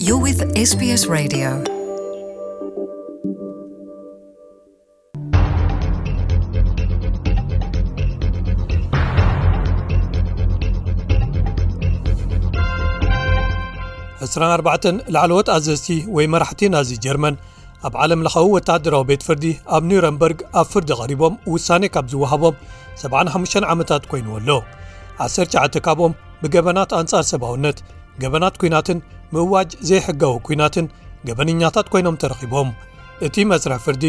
You're with S B S Radio. ዕስራን ኣርባዕተን ላዕለዎት ኣዘዝቲ ወይ መራሕቲ ናዚ ጀርመን ኣብ ዓለም ለኻዊ ወተሃደራዊ ቤት ፍርዲ ኣብ ኒረምበርግ ኣብ ፍርዲ ቀሪቦም ውሳኔ ካብ ዝወሃቦም ሰብዓን ሓሙሽተን ዓመታት ኮይንዎ ኣሎ። ዓሰርተ ትሽዓተ ካብኦም ብገበናት ኣንጻር ሰብኣውነት፣ ገበናት ኲናትን ምእዋጅ ዘይሕጋዊ ኲናትን ገበነኛታት ኮይኖም ተረኺቦም። እቲ መስርሕ ፍርዲ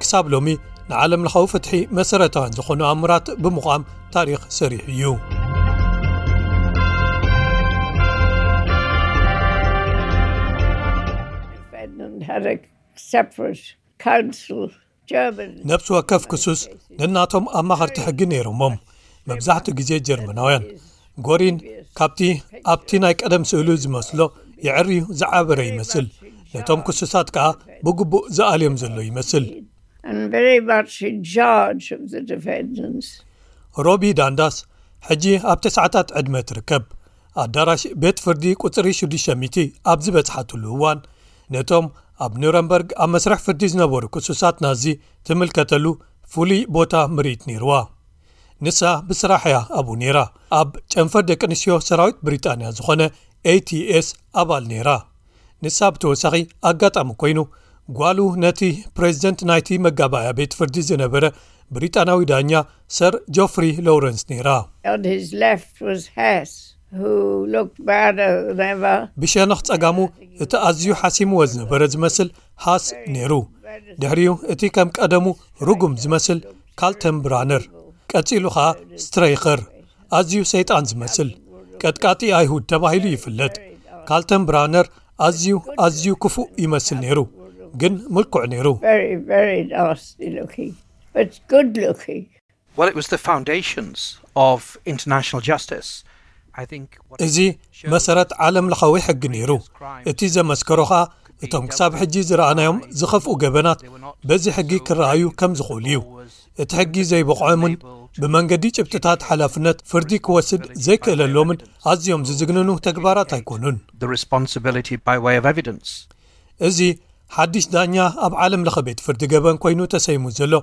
ክሳብ ሎሚ ንዓለም ለኻዊ ፍትሒ መሰረታውያን ዝኾኑ ኣምራት ብምዃም ታሪኽ ሰሪሑ እዩ። Defendant had a separate counsel. German. ነብሲ ወከፍ ክሱስ ነናቶም ኣማኸርቲ ሕጊ ነይሮሞም። መብዛሕትኡ ግዜ ጀርመናውያን። ጎሪን ካብቲ ኣብቲ ናይ ቀደም ስእሉ ዝመስሎ የዕርዩ ዝዓበረ ይመስል። ነቶም ክሱሳት ከኣ ብግቡእ ዝኣልዮም ዘሎ ይመስል። And very much in charge of the defendants. ሮቢ ዳንዳስ ሕጂ ኣብ ተስዓታት ዕድመ ትርከብ። ኣዳራሽ ቤት ፍርዲ ቁጽሪ ሽዱሽተ ሚእቲ ኣብ ዝበጽሓትሉ እዋን ነቶም ኣብ ኑረምበርግ ኣብ መስርሕ ፍርዲ ዝነበሩ ክሱሳት ናዚ ትምልከተሉ ፍሉይ ቦታ ምርኢት ነይርዋ። ንሳ ብስራሕ እያ ኣብኡ ነይራ። ኣብ ጨንፈር ደቂ ኣንስትዮ ሰራዊት ብሪጣንያ ዝኾነ ኤ ቲ ኤስ ኣባል ነይራ። ንሳ ብተወሳኺ ኣጋጣሚ ኮይኑ ጓሉ ነቲ ፕሬዝደንት ናይቲ መጋባእያ ቤት ፍርዲ ዝነበረ ብሪጣናዊ ዳኛ ሰር ጆፍሪ ሎውረንስ ነይራ። On his left was Hess, who looked badder than ever. ብሸነኽ ጸጋሙ እቲ ኣዝዩ ሓሲምዎ ዝነበረ ዝመስል ሃስ ነይሩ። ድሕሪኡ እቲ ከም ቀደሙ ርጉም ዝመስል ካልተን ብራነር፣ ቀጺሉ ኸኣ ስትረይኸር፣ ኣዝዩ ሰይጣን ዝመስል ቀጥቃጢ ኣይሁድ ተባሂሉ ይፍለጥ። ካልተን ብራነር ኣዝዩ ኣዝዩ ክፉእ ይመስል ነይሩ፣ ግን ምልኩዕ ነይሩ። Very, very nasty looking, but good looking. Well, it was the foundations of international justice. I think what እዚ መሰረት ዓለም ለኻዊ ሕጊ ነይሩ። እቲ ዘመስከሮ ኸኣ እቶም ክሳብ ሕጂ ዝረኣናዮም ዝኸፍኡ ገበናት በዚ ሕጊ ክረኣዩ ከም ዝኽእሉ እዩ። እቲ ሕጊ ዘይበቕዖምን ብመንገዲ ጭብጥታት ሓላፍነት ፍርዲ ክወስድ ዘይክእለሎምን ኣዝዮም ዝዝግንኑ ተግባራት ኣይኮኑን። The responsibility by way of evidence. እዚ ሓድሽ ዳኛ ኣብ ዓለም ለኸ ቤት ፍርዲ ገበን ኮይኑ ተሰይሙ ዘሎ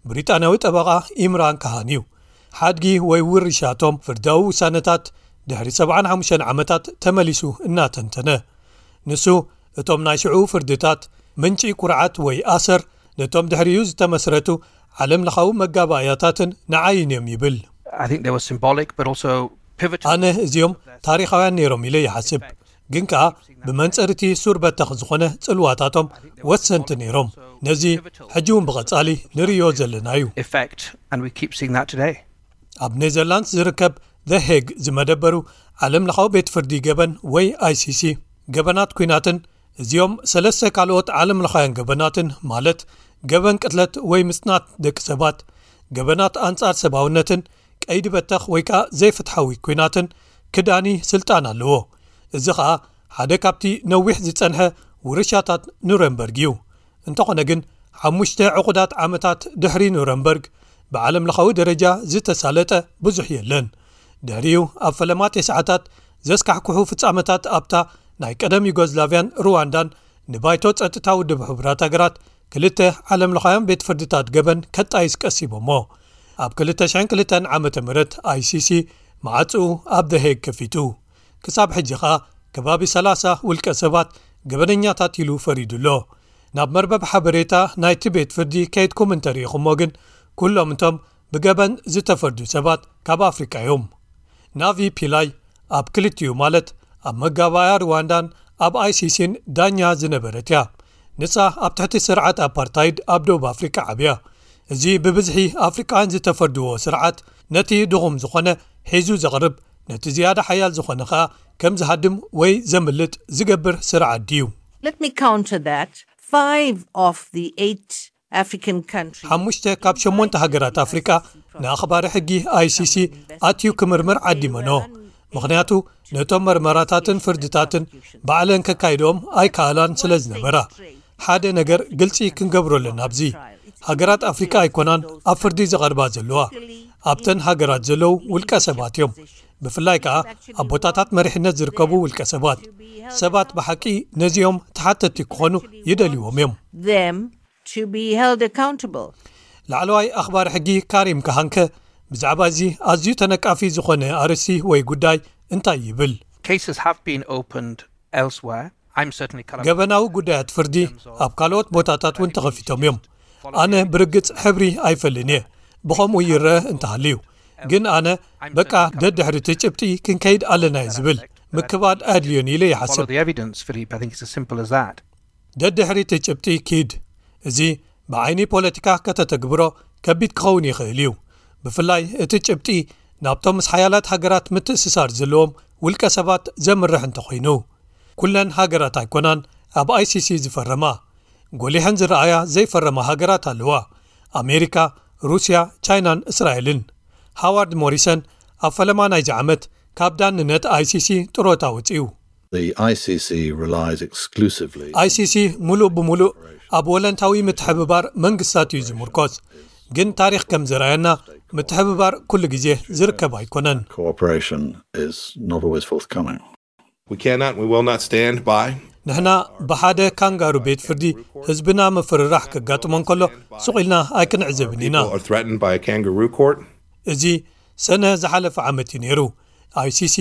ብሪጣንያዊ ጠበቓ ኢምራን ካሃን እዩ። ሓድጊ ወይ ውርሻቶም ፍርዳዊ ውሳነታት ድሕሪ ሰብዓን ሓሙሽተን ዓመታት ተመሊሱ እናተንተነ፣ ንሱ እቶም ናይ ሽዑ ፍርድታት ምንጪ ኩርዓት ወይ ኣሰር ነቶም ድሕሪኡ ዝተመስረቱ ዓለም ለኻዊ መጋባእያታትን ንዓይን እዮም ይብል። I think they were symbolic, but also pivotal. ኣነ እዚኦም ታሪኻውያን ነይሮም ኢለ ይሓስብ፣ ግን ከኣ ብመንጽር እቲ ሱር በተኽ ዝኾነ ጽልዋታቶም ወሰንቲ ነይሮም። ነዚ ሕጂ እውን ብቐጻሊ ንርእዮ ዘለና እዩ። Effect, and we keep seeing that today. ኣብ ኔዘርላንድስ ዝርከብ ዘ ሄግ ዝመደበሩ ዓለም ለኻዊ ቤት ፍርዲ ገበን ወይ ኣይ ሲ ሲ ገበናት ኲናትን እዚኦም ሰለስተ ካልኦት ዓለም ለኻውያን ገበናትን ማለት ገበን ቅትለት ወይ ምጽናት ደቂ ሰባት፣ ገበናት ኣንጻር ሰብኣውነትን ቀይዲ በተኽ ወይ ከኣ ዘይፍትሓዊ ኲናትን ክዳኒ ስልጣን ኣለዎ። እዚ ኸኣ ሓደ ካብቲ ነዊሕ ዝጸንሐ ውርሻታት ኑረምበርግ እዩ። እንተኾነ ግን ሓሙሽተ ዕቑዳት ዓመታት ድሕሪ ኑረምበርግ ብዓለም ለኻዊ ደረጃ ዝተሳለጠ ብዙሕ የለን። ድሕሪኡ ኣብ ፈለማ ተስዓታት ዘስካሕክሑ ፍጻመታት ኣብታ ናይ ቀደም ዩጎዝላቭያን ሩዋንዳን ንባይቶ ጸጥታ ውድብ ሕቡራት ሃገራት ክልተ ዓለም ለኻውያን ቤት ፍርድታት ገበን ከጣይስ ቀሲቦሞ። ኣብ ክልተ ሽሕን ክልተን ዓመተ ምህረት ኣይ ሲ ሲ መዓጽኡ ኣብ ደሄግ ከፊቱ። ክሳብ ሕጂ ኸኣ ከባቢ ሰላሳ ውልቀ ሰባት ገበነኛታት ኢሉ ፈሪዱ ኣሎ። ናብ መርበብ ሓበሬታ ናይቲ ቤት ፍርዲ ከይድኩም እንተሪኢኹሞ ግን ኩሎም እቶም ብገበን ዝተፈርዱ ሰባት ካብ ኣፍሪቃ እዮም። ናቪ ፒላይ ኣብ ክልቲኡ ማለት ኣብ መጋባእያ ሩዋንዳን ኣብ ኣይ ሲ ሲን ዳኛ ዝነበረት እያ። ንሳ ኣብ ትሕቲ ስርዓት ኣፓርታይድ ኣብ ደቡብ ኣፍሪቃ ዓብያ። እዚ ብብዝሒ ኣፍሪቃውያን ዝተፈርድዎ ስርዓት ነቲ ድኹም ዝኾነ ሒዙ ዘቕርብ ነቲ ዝያዳ ሓያል ዝኾነ ኸኣ ከም ዝሃድም ወይ ዘምልጥ ዝገብር ስርዓት ድዩ? Let me counter that. Five of the eight African countries. ሓሙሽተ ካብ ሸሞንተ ሃገራት ኣፍሪቃ ንኣኽባሪ ሕጊ ኣይ ሲ ሲ ኣትዩ ክምርምር ዓዲመኖ። ምኽንያቱ ነቶም መርመራታትን ፍርድታትን ባዕለን ከካይድኦም ኣይከኣላን ስለ ዝነበራ። ሓደ ነገር ግልጺ ክንገብሮ ኣለና ኣብዚ። ሃገራት ኣፍሪካ ኣይኮናን ኣብ ፍርዲ ዝቐርባ ዘለዋ። ኣብተን ሃገራት ዘለዉ ውልቀ ሰባት እዮም። ብፍላይ ከኣ ኣብ ቦታታት መሪሕነት ዝርከቡ ውልቀ ሰባት። ሰባት ብሓቂ ነዚኦም ተሓተቲ ክኾኑ ይደልይዎም እዮም። Them to be held accountable. ላዕለዋይ ኣኽባሪ ሕጊ ካሪም ካሃንከ ብዛዕባ እዚ ኣዝዩ ተነቃፊ ዝኾነ ኣርእስቲ ወይ ጉዳይ እንታይ ይብል? Cases have been opened elsewhere. I'm certainly ገበናዊ ጉዳያት ፍርዲ ኣብ ካልኦት ቦታታት እውን ተኸፊቶም እዮም። ኣነ ብርግጽ ሕብሪ ኣይፈልን እየ፣ ብኸምኡ ይረአ እንተሃልዩ። ግን ኣነ በቃ ደድሕሪ እቲ ጭብጢ ክንከይድ ኣለና እየ ዝብል፣ ምክባድ ኣድልዮን ኢለ ይሓስብ። ደድሕሪ እቲ ጭብጢ ኪድ። እዚ ብዓይኒ ፖለቲካ ከተተግብሮ ከቢድ ክኸውን ይኽእል እዩ። ብፍላይ እቲ ጭብጢ ናብቶም ምስ ሓያላት ሃገራት ምትእስሳር ዘለዎም ውልቀ ሰባት ዘምርሕ እንተኾይኑ። ኩለን ሃገራት ኣይኮናን ኣብ ኣይሲሲ ዝፈረማ። ጎሊሐን ዝረኣያ ዘይፈረማ ሃገራት ኣለዋ። ኣሜሪካ፣ ሩስያ፣ ቻይናን እስራኤልን። ሃዋርድ ሞሪሰን ኣብ ፈለማ ናይዚ ዓመት ካብ ዳንነት ኣይሲሲ ጥሮታ ወጺኡ። The I C C relies exclusively ኣይሲሲ ሙሉእ ብሙሉእ ኣብ ወለንታዊ ምትሕብባር መንግስታት እዩ ዝምርኮስ። ግን ታሪኽ ከም ዘርኣየና ምትሕብባር ኩሉ ግዜ ዝርከብ ኣይኮነን። Cooperation is not always forthcoming. We cannot, we will not stand by. ንሕና ብሓደ ካንጋሩ ቤት ፍርዲ ህዝብና ምፍርራሕ ከጋጥሞ እንከሎ ሱቕ ኢልና ኣይክንዕዘብን ኢና። People are threatened by a kangaroo court. እዚ ሰነ ዝሓለፈ ዓመት እዩ ነይሩ። ኣይሲሲ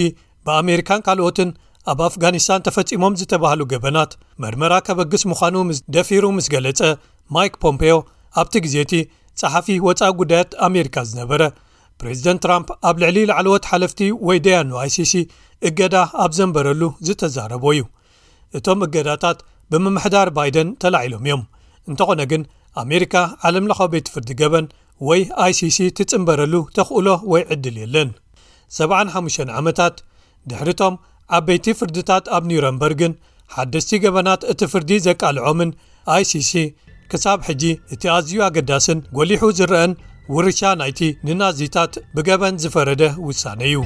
ብኣሜሪካን ካልኦትን ኣብ ኣፍጋኒስታን ተፈጺሞም ዝተባህሉ ገበናት መርመራ ከበግስ ምዃኑ ምስ- ደፊሩ ምስ ገለጸ፣ ማይክ ፖምፔዮ ኣብቲ ግዜ እቲ ጸሓፊ ወጻኢ ጉዳያት ኣሜሪካ ዝነበረ፣ ፕሬዚደንት ትራምፕ ኣብ ልዕሊ ላዕለዎት ሓለፍቲ ወይ ደያኑ ኣይሲሲ እገዳ ኣብ ዘንበረሉ ዝተዛረቦ እዩ። እቶም እገዳታት ብምምሕዳር ባይደን ተላዒሎም እዮም። እንተኾነ ግን ኣሜሪካ ዓለምለኻዊ ቤት ፍርዲ ገበን ወይ ኣይሲሲ ትጽንበረሉ ተኽእሎ ወይ ዕድል የለን። ሰብዓን ሓሙሽተን ዓመታት ድሕሪቶም ዓበይቲ ፍርድታት ኣብ ኒውረምበርግን ሓደስቲ ገበናት እቲ ፍርዲ ዘቃልዖምን ኣይሲሲ ክሳብ ሕጂ እቲ ኣዝዩ ኣገዳስን ጎሊሑ ዝረአን ውርሻ ናይቲ ንናዚታት ብገበን ዝፈረደ ውሳነ እዩ።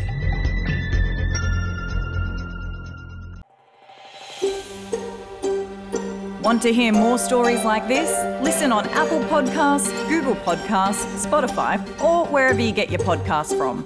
Want to hear more stories like this? Listen on Apple Podcasts, Google Podcasts, Spotify, or wherever you get your podcasts from.